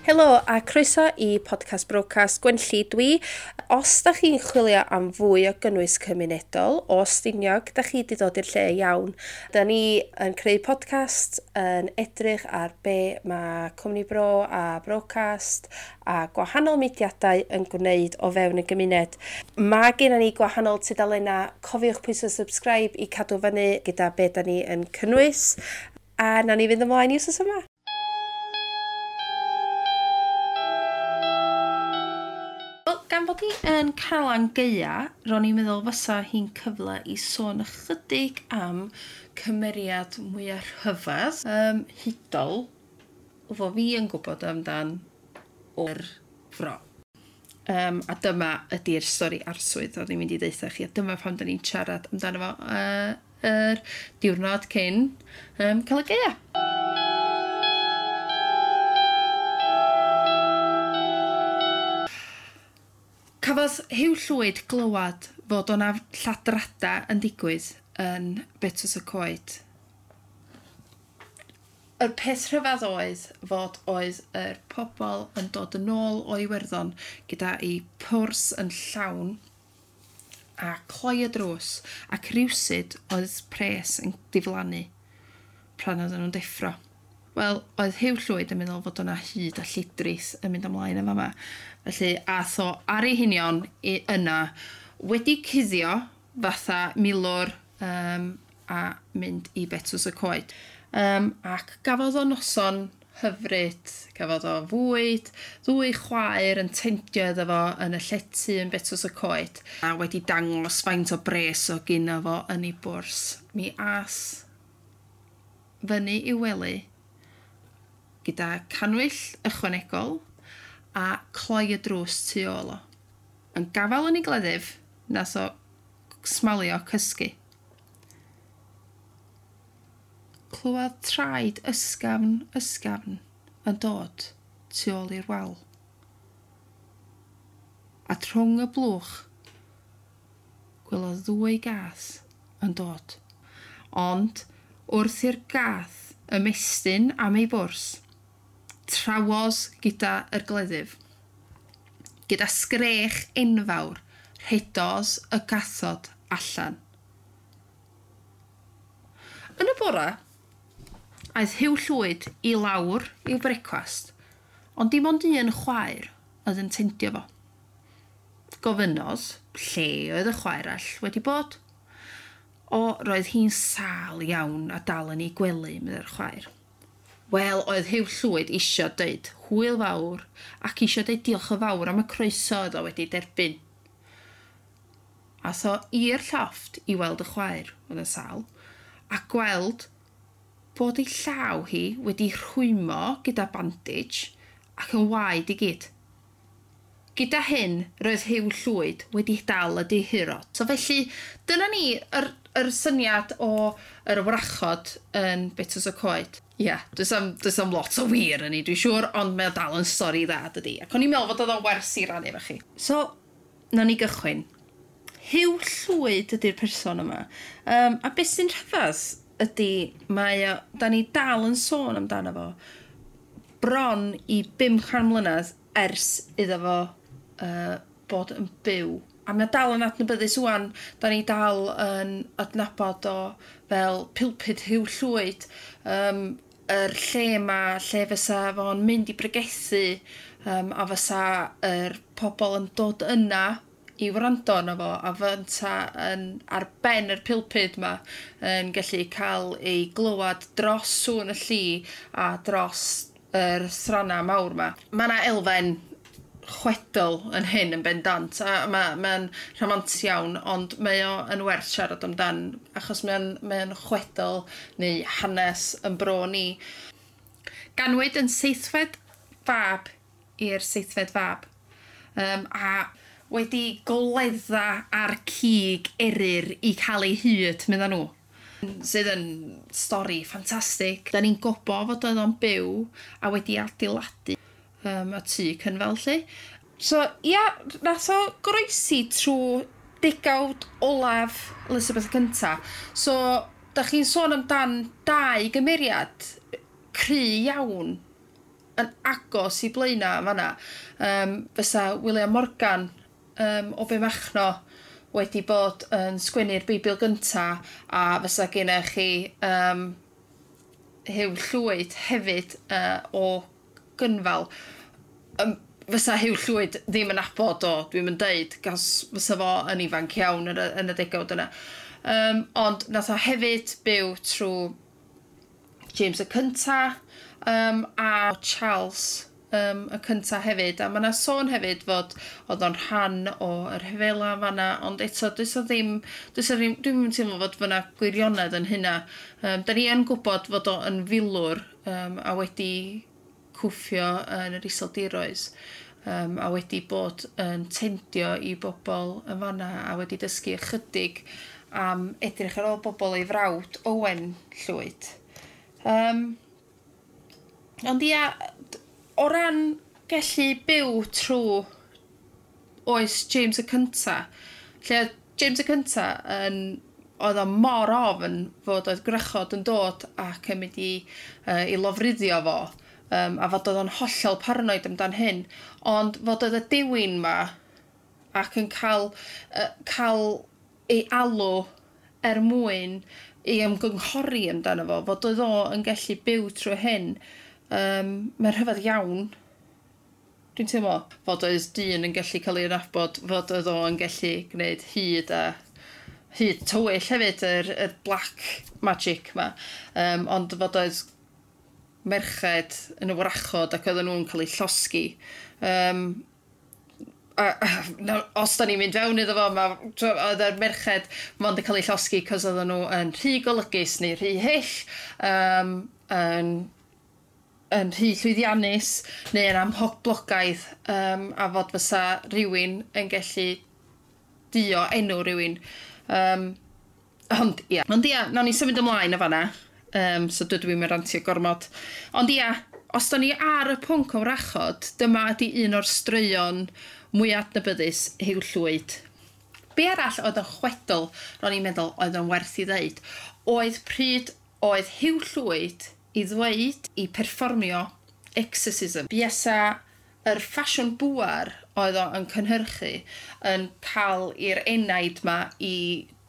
Helo a croeso i podcast Brocast Gwenlli dwi. Os da chi'n chwilio am fwy o gynnwys cymunedol o Stiniog, da chi wedi dod i'r lle iawn. Da ni yn creu podcast yn edrych ar be mae Cwmni Bro a Brocast a gwahanol mudiadau yn gwneud o fewn y gymuned. Mae gennym ni gwahanol tudalennau. Cofiwch pwyso subscribe i cadw fyny gyda be da ni yn cynnwys. A nawn ni fynd ymlaen i wsos yma. Wel, gan fod hi yn Calan Gaea, ro'n i'n meddwl fysa hi'n cyfle i sôn ychydig am cymeriad mwyaf rhyfedd, hudol, fo fi yn gwybod amdan o'r fro. A dyma ydy'r stori arswyd o'n i'n mynd i ddeutha chi, a dyma pam da ni'n siarad amdano fo yr diwrnod cyn Calan Gaea. Cafodd Huw Llwyd glywad fod o'na lladrada yn digwydd yn Betws y Coed. Yr peth rhyfedd oedd fod oedd yr pobl yn dod yn ôl o Iwerddon gyda'i pwrs yn llawn a cloi y drws, ac rywsut oedd pres yn diflannu pan oedden nhw'n deffro. Wel, oedd Huw Llwyd yn meddwl fod o'na hud a llidrith yn mynd ymlaen yn fama. Felly, ath o ar ei hunion i yna, wedi cuddio fatha milwr a mynd i Betws y Coed. Ac gafodd o noson hyfryd, gafodd o fwyd, ddwy chwaer yn tendio iddo fo yn y llety yn Betws y Coed, a wedi dangos faint o bres o gynno fo yn ei bwrs. Mi as fyny i'w wely gyda cannwyll ychwanegol a cloi y drws tu ôl o. Yn gafael yn ei gleddyf, nath o smalio cysgu. Clywodd traed ysgafn, ysgafn yn dod tu ôl i'r wal. A trwng y blwch, gwelodd ddwy gath yn dod. Ond wrth i'r gath ymestyn am ei bwrs, trawodd gyda yr gleddyf. Gyda sgrech enfawr, rhedodd y gathod allan. Yn y bora, aeth Huw Llwyd i lawr i'w brecwast, ond dim ond un chwaer oedd yn tendio fo. Gofynnodd lle oedd y chwaer all wedi bod. O, roedd hi'n sâl iawn a dal yn ei gwely, meddai'r chwaer. Wel, oedd Huw Llwyd isio deud hwyl fawr ac isio deud diolch yn fawr am y croeso oedd o wedi derbyn. Ath o i'r llofft i weld y chwaer, oedd yn sâl, a gweld bod ei llaw hi wedi rhwymo gyda bandage ac yn waed i gyd. Gyda hyn, roedd Huw Llwyd wedi dal y dihuro. So felly, dyna ni yr syniad o yr wrachod yn Betws y Coed. Ie, yeah, does am lot o wir yn ei, dwi'n siŵr, ond mae o dal yn stori dda, dydi. Ac o'n i'n meddwl fod oedd o'n wers i rannu efo chi. So, nawn ni gychwyn. Huw Llwyd ydy'r person yma. A beth sy'n rhyfedd ydy, mae o, da ni dal yn sôn amdano fo bron i 500 mlynedd ers iddo fo bod yn byw. A mae o dal yn adnabyddus ŵan, da ni dal yn adnabod o fel Pulpud Huw Llwyd, yr lle ma, lle fysa fo'n mynd i bregethu, a fysa yr pobl yn dod yna i wrando arno fo, a fynta yn ar ben yr pulpud ma yn gallu cael ei glywad dros sŵn y lli a dros yr thrana mawr ma. Mae yna elfen chwedl yn hyn yn bendant, a mae'n rhamantus iawn, ond mae o yn werth siarad amdan, achos mae'n chwedl neu hanes yn bro ni. Ganwyd yn seithfed fab i'r seithfed fab, a wedi goledda ar cig eryr i cael ei hyd, medda nhw. Sydd yn stori ffantastig. Da ni'n gwybod fod oedd o'n byw a wedi adeiladu y tŷ cynfel, lle. So, ia, nath o goroesi trwy degawd olaf Elizabeth Cynta. So, da chi'n sôn amdan dau gymeriad cry iawn yn agos i Blaena fanna. Fysa William Morgan o Benmachno wedi bod yn sgwennu'r Beibl gynta, a fysa gennych chi Huw Llwyd hefyd o Gynfal. Fysa Huw Llwyd ddim yn nabod o, dwi'n mynd deud, gas fysa fo yn ifanc iawn yn y degawd yna. Ond nath o hefyd byw trwy James y Cynta a Charles y cynta hefyd. A mae yna sôn hefyd fod oedd o'n rhan o yr rhyfela fanna, ond eto does o ddim, does o ddim, dwi'n mynd teimlo fod fyna gwirionedd yn hynna. Da ni yn gwybod fod o yn filwr a wedi cwffio yn yr Iseldiroedd, a wedi bod yn tendio i bobl yn fanna a wedi dysgu ychydig am edrych ar ôl bobl ei frawd Owen Llwyd. Ond ia, o ran gallu byw trwy oes James y Cynta, lle oedd James y Cynta yn, oedd o mor ofn fod oedd gwrachod yn dod ac yn mynd i lofruddio fo, a fod oedd o'n hollol paranoid amdan hyn, ond fod oedd y dewin ma ac yn cael ei alw er mwyn i ymgynghori amdano fo, fod oedd o yn gallu byw trwy hyn, mae'n rhyfedd iawn. Dwi'n teimlo fod oedd dyn yn gallu cael ei nabod, fod oedd o yn gallu gwneud hud a hud tywyll hefyd, yr black magic ma. Ond fod oedd merched yn y wrachod ac oedden nhw'n cael eu llosgi. A os da ni'n mynd fewn iddo fo, oedd yr merched mond yn cael eu llosgi cos oedden nhw yn rhy golygus neu rhy hyll, yn rhy llwyddiannus neu yn amhoblogaidd, a fod fysa rhywun yn gallu dio enw rhywun. Ond ia, ond ia, nawn ni symud ymlaen o fanna. So dydw i'n rantio gormod. Ond ia, os da ni ar y pwnc o wrachod, dyma ydi un o'r straeon mwy adnabyddus Huw Llwyd. Be arall oedd yn chwedl, ro'n i'n meddwl oedd yn werth i ddeud, oedd pryd oedd Huw Llwyd i ddweud i perfformio exorcism. Buasa yr ffasiwn bŵar oedd o yn cynhyrchu yn cael i'r enaid ma i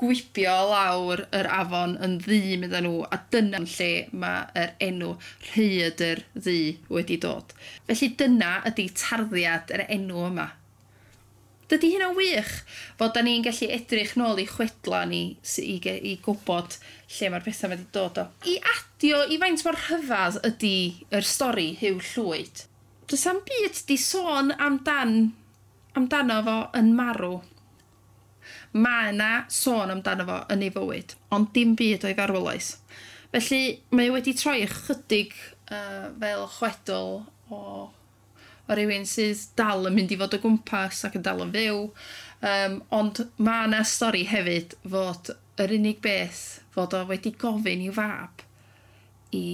gwibio lawr yr afon yn ddu medda nhw, a dyna lle mae yr enw Rhaeadr Ddu wedi dod. Felly dyna ydy tarddiad yr enw yma. Dydy hynna'n wych fod da ni'n gallu edrych nôl i chwedla ni i gwybod lle mae'r pethau wedi dod o. I adio i faint mor rhyfedd ydy yr stori Huw Llwyd. Does am byd di sôn amdano fo yn marw. Mae yna sôn amdano fo yn ei fywyd, ond dim byd o'i farwolaeth. Felly mae wedi troi ychydig fel chwedl o rywun sydd dal yn mynd i fod o gwmpas ac yn dal yn fyw. Ond mae yna stori hefyd fod yr unig beth fod o wedi gofyn i'w fab i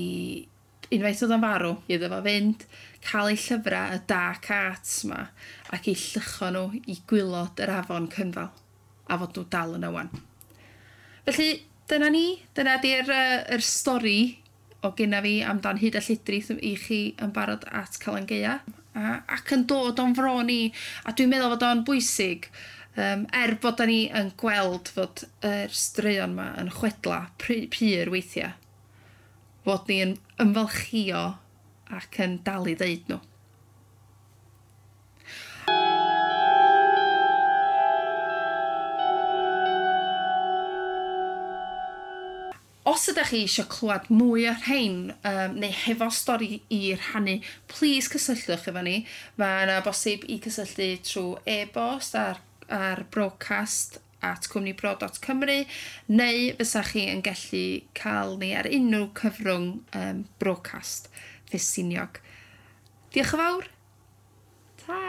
unwaith oedd o'n farw, iddo fo fynd, cael ei llyfrau y Dark Arts ma ac i lluchio nhw i gwaelod yr afon Cynfal a fod nhw dal yna wan. Felly, dyna ni. Dyna di'r yr stori o gynna fi amdan hud a lledrith i chi yn barod at Calan Gaea. Ac yn dod o'n fro ni, a dwi'n meddwl fod o'n bwysig, er bod da ni yn gweld fod yr straeon ma yn chwedla pur weithiau, fod ni yn ymfalchio ac yn dal i ddeud nhw. Os ydych chi eisiau clywed mwy o'r rhain, neu hefo stori i rhannu, please cysylltwch efo ni. Mae yna bosib i cysylltu trwy e-bost ar brocast@cwmnibro.cymru, neu fysa chi yn gallu cael ni ar unrhyw cyfrwng Brocast Ffestiniog. Diolch yn fawr. Ta!